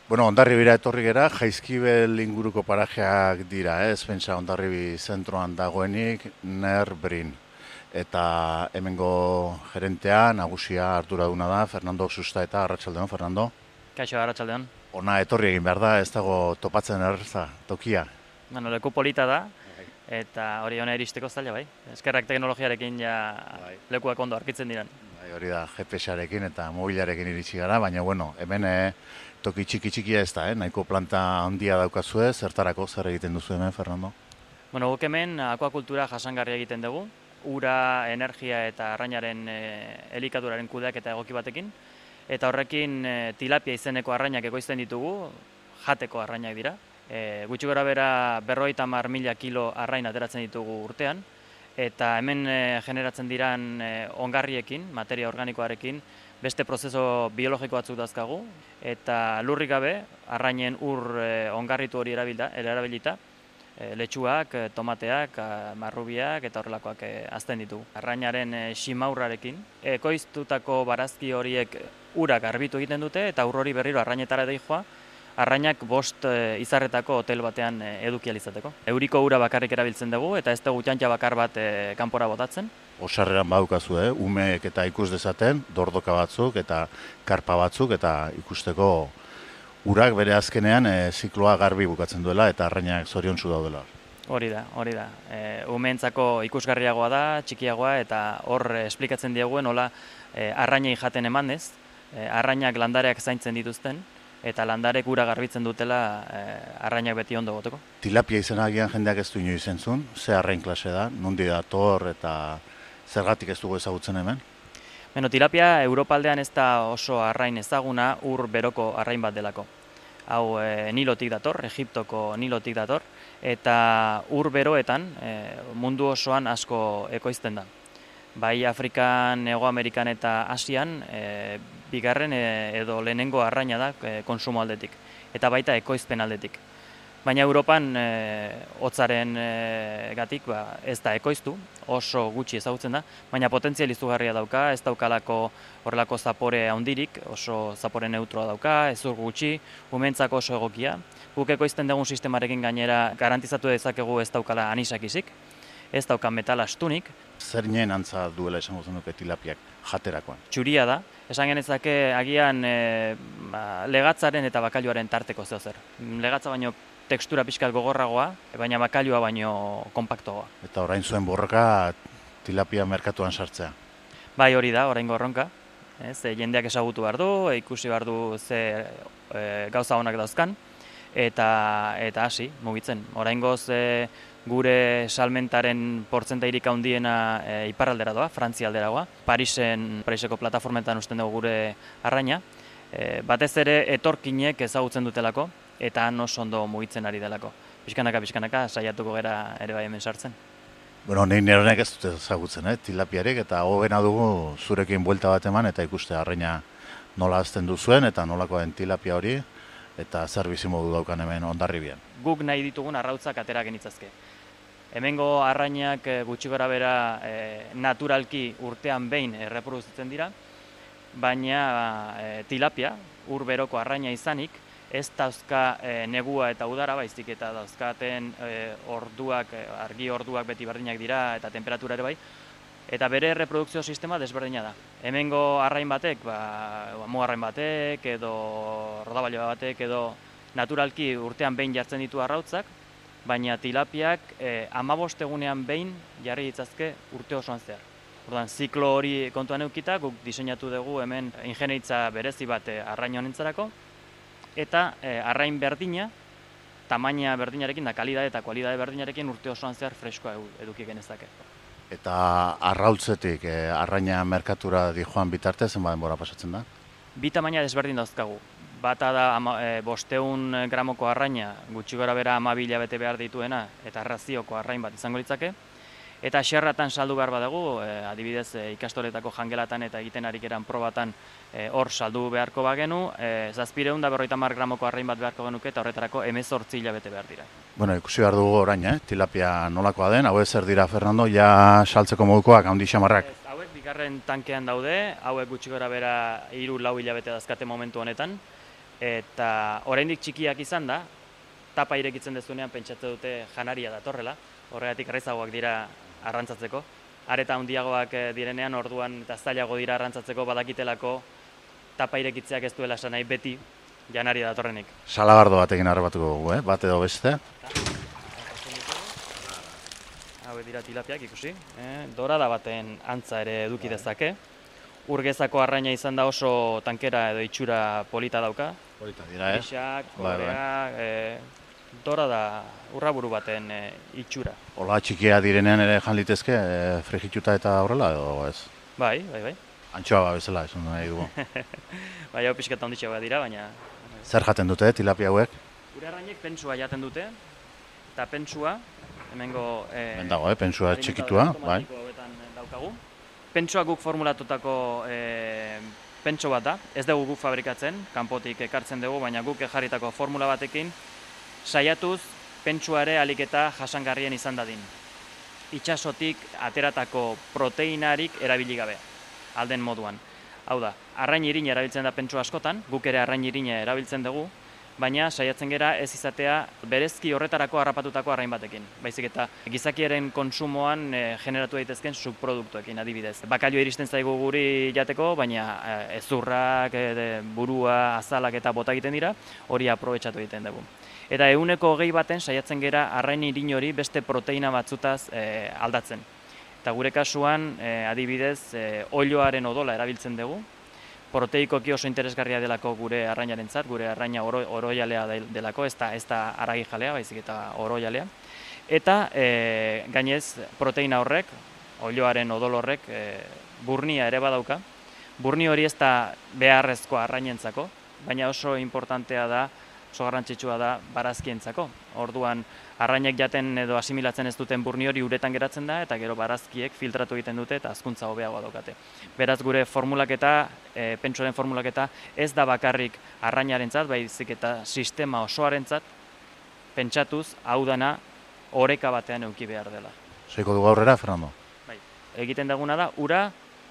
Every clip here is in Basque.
Bueno, Hondarribira etorri gera, Jaizkibel inguruko parajeak dira, ez? Pentsa Hondarribi zentroan dagoenik, Nerbrin. Eta hemengo gerentea, nagusia arduraduna da, Fernando Susta eta Arratsaldeon, Fernando. Kaixo, arratsaldeon. Ona etorri egin behar da, ez dago topatzen erreza, tokia. Bueno, leku polita da, eta hori hona iristeko zaila bai. Eskerrak teknologiarekin ja Bai. lekuak ondo arkitzen diren. Bai, hori da, GPS-arekin eta mobilarekin iritsi gara, baina bueno, hemen toki txikia ez da, nahiko planta handia daukazue, zertarako zer egiten duzu hemen, Fernando? Bueno, guk hemen akuakultura jasangarria egiten dugu, ura, energia eta arrainaren elikaduraren kudeak eta egoki batekin, eta horrekin tilapia izeneko arrainak ekoizten ditugu, jateko arrainak dira. Gutxi gora bera 50.000 kilo arrain ateratzen ditugu urtean, eta hemen generatzen diran ongarriekin, materia organikoarekin, beste prozeso biologiko batzuk dazkagu, eta lurrik gabe, arrainen ur ongarritu hori erabilita, letxuak, tomateak, marrubiak eta horrelakoak hazten ditugu. Arrainaren simaurrarekin, ekoiztutako barazki horiek urak garbitu egiten dute, eta ur hori berriro arrainetara doa, arrainak 5 izarretako hotel batean eduki ahal izateko. Euriko ura bakarrik erabiltzen dugu eta ez dugu txantxa bakar bat kanpora botatzen. Osarreran badukazu, umeek eta ikus dezaten, dordoka batzuk eta karpa batzuk eta ikusteko urak bere azkenean zikloa garbi bukatzen duela eta arrainak zoriontsu daudela. Hori da. Umeentzako ikusgarriagoa da, txikiagoa eta hor esplikatzen dieguen nola arrainei jaten emanez, arrainak landareak zaintzen dituzten, eta landarek ura garbitzen dutela arrainak beti ondo goteko. Tilapia izena agian jendeak ez du inoiz entzun, ze arrain klase da, nondi dator eta zergatik ez dugu ezagutzen hemen? Beno, tilapia Europaldean ez da oso arrain ezaguna, ur beroko arrain bat delako. Hau Nilotik dator, Egiptoko Nilotik dator, eta ur beroetan mundu osoan asko ekoizten da. Bai Afrikan, Hego Amerikan eta Asian, bigarren edo lehenengo arraina da konsumo aldetik, eta baita ekoizpen aldetik. Baina Europan hotzaren gatik ez da ekoiztu, oso gutxi ezagutzen da, baina potentzial izugarria dauka, ez daukalako horrelako zapore handirik, oso zapore neutroa dauka, ezur gutxi, umeentzako oso egokia. Guk ekoizten dugun sistemarekin gainera garantizatu dezakegu ez daukala anisakizik, ez dauka metal astunik. Zer nien antza duela esango zenuke tilapiak jaterakoan? Txuria da, esan genezake agian legatzaren eta bakailuaren tarteko zeozer. Legatza baino tekstura pixkat gogorragoa, baina bakailua baino konpaktoa. Eta orain zuen borroka tilapia merkatuan sartzea. Bai, hori da, oraingo erronka. Jendeak ezagutu behar du, ikusi behar du ze gauza honak dauzkan, eta hasi, mugitzen. Oraingoz gure salmentaren portzentairik handiena iparraldera doa, Frantzia alderagoa. Pariseko plataformetan usten dugu gure arraina. Batez ere etorkinek ezagutzen dutelako, eta oso ondo mugitzen ari delako. Pixkanaka saiatuko gera ere bai hemen sartzen. Bueno, nein neronek ez dute ezagutzen, tilapiarek, eta hobena dugu zurekin buelta bat eman eta ikuste arraina nola hazten duzuen eta nolako den tilapia hori, eta zer bizimodu daukan hemen Hondarribian. Guk nahi ditugun arrautzak atera genitzazke. Hemengo arrainak gutxi gora bera naturalki urtean behin erreproduzitzen dira, baina tilapia, ur beroko arraina izanik, ez dauzka negua eta udara baizik eta dauzkaten argi orduak beti berdinak dira eta temperatura ere bai, eta bere reprodukzio sistema desberdina da. Hemengo arrain batek, mugarrain batek edo rodaballo batek edo naturalki urtean behin jartzen ditu arrautzak, baina tilapiak 15 egunean behin jarri ditzazke urte osoan zehar. Orduan, ziklo hori kontuan eukita, guk diseinatu dugu hemen ingenieritza berezi bat arrain honentzarako, eta arrain berdina, tamaina berdinarekin da kalidade eta kualidade berdinarekin urte osoan zehar freskoa eduki genezake. Eta arrautzetik arraina merkatura dijoan bitarte, zenba denbora pasatzen da? Bi tamaina desberdin dauzkagu. Bata da 500 gramoko arraina, gutxi gora bera 12 hilabete behar dituena, eta razioko arrain bat izango litzake. Eta xerratan saldu behar badugu, adibidez ikastoletako jangelatan eta egiten arik eran probatan hor saldu beharko bagenu, 750 gramoko arrain bat beharko genuke eta horretarako 18 hilabete behar dira. Bueno, ikusi behar dugu orain, tilapia nolakoa den, hauek zer dira, Fernando, ja saltzeko modukoak, handi xamarrak. Hauek bigarren tankean daude, hauek gutxi gora bera 3-4 hilabete dazkate momentu honetan, Eta oraindik txikiak izan da, tapa irekitzen dezunean pentsatze dute janaria datorrela, horregatik errazagoak dira arrantzatzeko. Areta handiagoak direnean orduan eta zailago dira arrantzatzeko badakitelako tapa irekitzeak ez duela esan nahi beti janaria datorrenik. Salagardo batekin harrapatuko dugu, bat edo beste. Hau dira tilapiak ikusi, dorada baten antza ere eduki dezake. Urgezako arraina izan da oso tankera edo itxura polita dauka. Polita dira, ez? Pixak, kolorea, dorada urraburu baten itxura. Ola txikia direnean ere jan litezke, frigituta eta horrela edo ez? Bai. Antxoa bezala, esan nahi dugu. Bai, hau pixkat handitxeagoa dira, baina... Zer jaten dute, tilapia hauek? Gure arrainek pentsua jaten dute, eta pentsua, hemengo... Ben dago, pentsua txikitua, bai. Daukagu. Pentsua guk formulatutako pentso bat da, ez dugu guk fabrikatzen, kanpotik ekartzen dugu, baina guk ejarritako formula batekin, saiatuz pentsuare alik eta jasangarrien izan dadin. Itxasotik ateratako proteinarik erabili gabe, alden moduan. Hau da, arrain irina erabiltzen da pentsu askotan, guk ere arrain irina erabiltzen dugu, baina saiatzen gera ez izatea berezki horretarako harrapatutako arrain batekin. Baizik eta gizakiaren konsumoan generatu daitezken subproduktuekin adibidez. Bakalioa iristen zaigu guri jateko, baina ezurrak, burua, azalak eta bota egiten dira, hori aprobetxatu egiten dugu. Eta 120 baten saiatzen gera arrain irin hori beste proteina batzutaz aldatzen. Eta gure kasuan, adibidez, olioaren odola erabiltzen dugu, proteikoki oso interesgarria delako gure arrainarentzat, gure arraina orojalea delako, ez da haragi jalea, baizik eta orojalea. Eta gainez proteina horrek, olioaren odol horrek, burnia ere badauka. Burni hori ez da beharrezkoa arrainentzako, baina oso importantea da, oso garrantzitsua da barazkientzako. Orduan, arrainek jaten edo asimilatzen ez duten burni hori uretan geratzen da, eta gero barazkiek filtratu egiten dute eta hazkuntza hobeagoa daukate. Beraz, gure formulaketa, pentsoaren formulaketa, ez da bakarrik arrainarentzat, baizik eta sistema osoarentzat pentsatuz hau dana oreka batean eduki behar dela. Seiko dugu aurrera, Fernando? Bai. Egiten daguna da, ura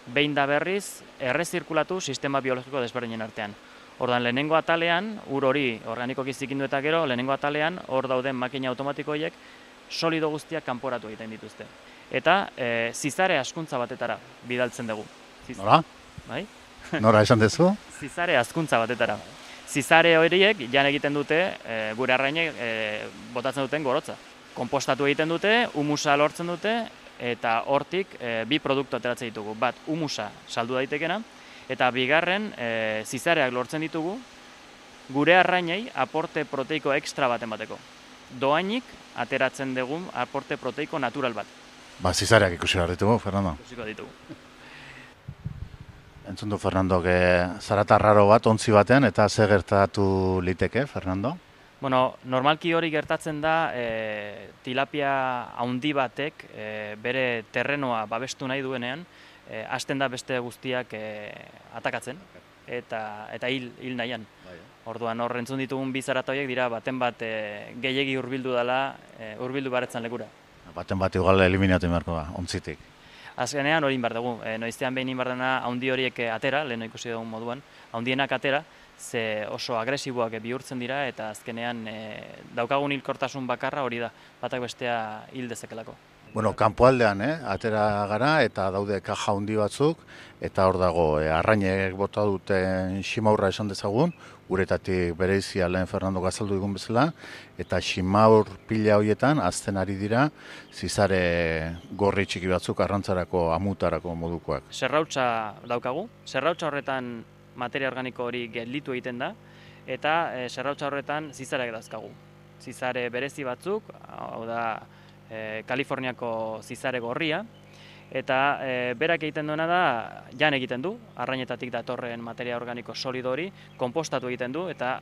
behin da berriz errezirkulatu sistema biologiko desberdinen artean. Ordan lehenengo atalean, ur hori organikoki zikindu eta gero, lehenengo atalean, hor dauden makina automatikoiek solido guztiak kanporatu egiten dituzte. Eta zizare askuntza batetara bidaltzen dugu. Nora? Bai? Nora esan dezu? Zizare askuntza batetara. Zizare horiek jan egiten dute, gure arrainek botatzen duten gorotza. Konpostatu egiten dute, humusa lortzen dute, eta hortik bi produktu ateratzen ditugu. Bat, humusa saldu daitekena, eta bigarren, zizareak lortzen ditugu, gure arrainei aporte proteiko ekstra baten bateko. Doainik ateratzen dugun aporte proteiko natural bat. Ba, zizareak ikusi behar ditugu, Fernando. Ikusiko ditugu. Entzun du, Fernando, zarata raro bat, ontzi batean, eta ze gertatu liteke, Fernando? Bueno, normalki hori gertatzen da, tilapia handi batek bere terrenoa babestu nahi duenean, hasten da beste guztiak atakatzen eta hil nahian. Orduan hor entzun ditugun bi zarata horiek dira baten bat gehiegi hurbildu dela, hurbildu baretzen lekura. Baten bat igual eliminatu beharko da, ontzitik. Azkenean hori inbar dugu, noizean behin inbar dena handi horiek atera, lehen ikusi dugun moduan, handienak atera, ze oso agresiboak bihurtzen dira eta azkenean daukagun hilkortasun bakarra hori da, batak bestea hil dezakelako. Bueno, kanpoaldean, atera gara eta daude kaja handi batzuk, eta hor dago, arrainek bota duten ximaurra esan dezagun, uretatik bereizia lehen Fernando gazaldu digun bezala, eta ximaur pila horietan azten ari dira zizare gorri txiki batzuk arrantzarako, amutarako modukoak. Zerrautza daukagu, zerrautza horretan materia organiko hori gelditu egiten da, eta zerrautza horretan zizareak dauzkagu. Zizare berezi batzuk, hau da, Kaliforniako zizare gorria, eta berak egiten duena da, jan egiten du, arrainetatik datorren materia organiko solido hori, konpostatu egiten du, eta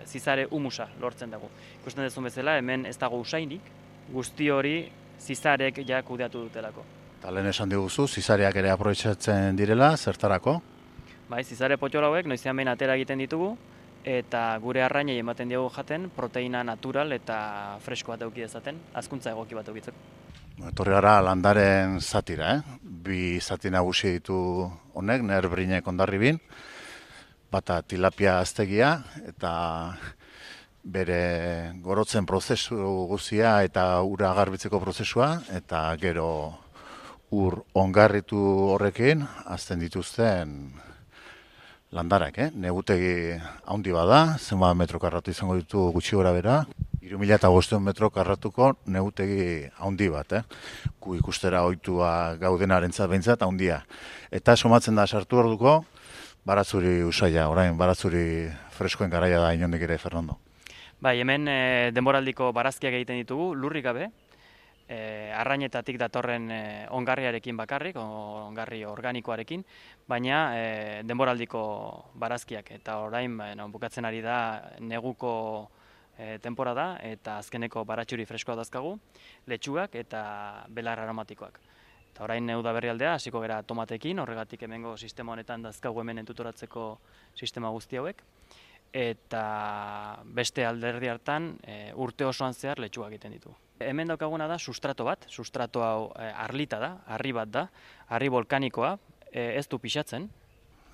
zizare humusa lortzen dugu. Ikusten duzun bezala, hemen ez dago usainik, guzti hori zizarek ja kudeatu dutelako. Eta lehen esan diguzu, zizareak ere aprobetxatzen direla, zertarako? Bai, zizare potxola hauek noizean behin atera egiten ditugu, eta gure arrainei ematen diogu jaten proteina natural eta fresko bat eduki dezaten, hazkuntza egoki bat edukitzeko. Etorri gara landaren zatira, Bi zati nagusi ditu honek, Nerbrinek Hondarribin. Bata tilapia aztegia eta bere gorotzen prozesu guztia eta ura garbitzeko prozesua, eta gero ur ongarritu horrekin azten dituzten landarak, negutegi handi bada, zenbat metro karratu izango ditu gutxi gora bera, 3.500 metro karratuko negutegi handi bat, gu ikustera ohitua gaudenarentzat behintzat handia. Eta somatzen da sartu orduko baratzuri usaia, orain baratzuri freskoen garaia da inondik ere, Fernando. Bai, hemen denboraldiko barazkiak egiten ditugu, lurrik gabe, arrainetatik datorren ongarriarekin bakarrik, ongarri organikoarekin, baina denboraldiko barazkiak, eta orain bukatzen ari da neguko temporada, eta azkeneko baratxuri freskoa dazkagu, letxugak eta belar aromatikoak. Eta orain udaberri aldea, hasiko gera tomatekin, horregatik hemengo sistema honetan dazkagu hemen entutoratzeko sistema guzti hauek, eta beste alderdi hartan urte osoan zehar letxugak egiten ditu. Hemen daukaguna da sustrato bat, sustrato hau arlita da, harri bat da, harri volkanikoa, ez du pixatzen.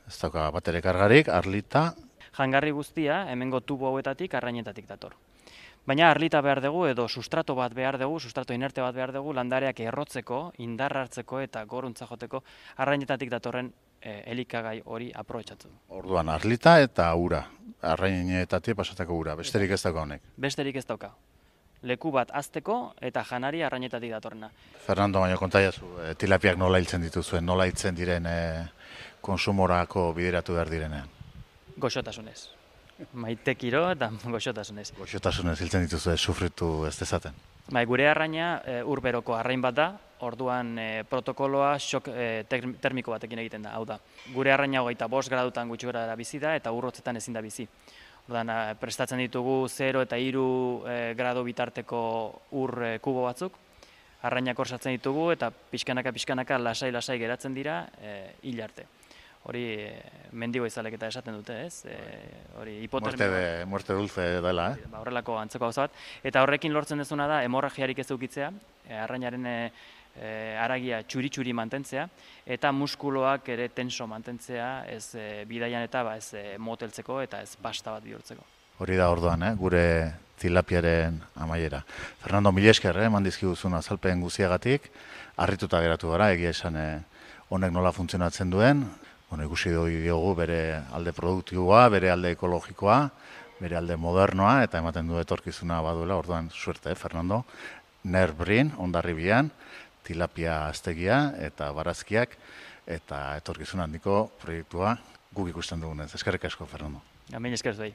Ez dauka bat ere kargarik, arlita. Jangarri guztia hemengo tubo hauetatik arrainetatik dator. Baina arlita behar dugu edo sustrato bat behar dugu, sustrato inerte bat behar dugu, landareak errotzeko, indar hartzeko eta goruntza joteko arrainetatik datorren elikagai hori aprobetxatzen. Orduan arlita eta ura, arrainetatik pasatako ura, besterik ez dauka honek. Besterik ez dauka. Leku bat azteko eta janari arrainetatik datorrena. Fernando, baina kontaiazu, tilapiak nola hiltzen dituzuen, nola hiltzen diren konsumorako bideratu behar direnean? Goxotasunez. Maitekiro eta goxotasunez. Goxotasunez hiltzen dituzue, sufritu ez dezaten. Bai, gure arraina urberoko arrain bat da, orduan protokoloa xok termiko batekin egiten da, hau da. Gure arraina 25 gradutan gutxi gora bizi da eta urrotzetan ezin da bizi. Orduan, prestatzen ditugu 0 eta 3 gradu bitarteko ur kubo batzuk, arrainak hor sartzen ditugu eta pixkanaka lasai geratzen dira hil arte. Hori mendigo izalek eta esaten dute, ez? Hori hipotermia. Muerte dulce dela, Horrelako antzeko gauza bat. Eta horrekin lortzen dezuna da hemorragiarik ez edukitzea, arrainaren haragia txuri mantentzea, eta muskuloak ere tenso mantentzea, ez bidaian eta ez moteltzeko eta ez pasta bat bihurtzeko. Hori da orduan, gure tilapiaren amaiera. Fernando, mila esker, eman dizkiguzun azalpen guziagatik, harrituta geratu gara, egia esan honek nola funtzionatzen duen, ikusi diogu bere alde produktiboa, bere alde ekologikoa, bere alde modernoa, eta ematen du etorkizuna baduela, orduan suerte, Fernando. Nerbrin, Hondarribian, tilapia aztegia eta barazkiak, eta etorkizun handiko proiektua guk ikusten dugunez. Eskerrik asko, Fernando. Hemen esker zuei.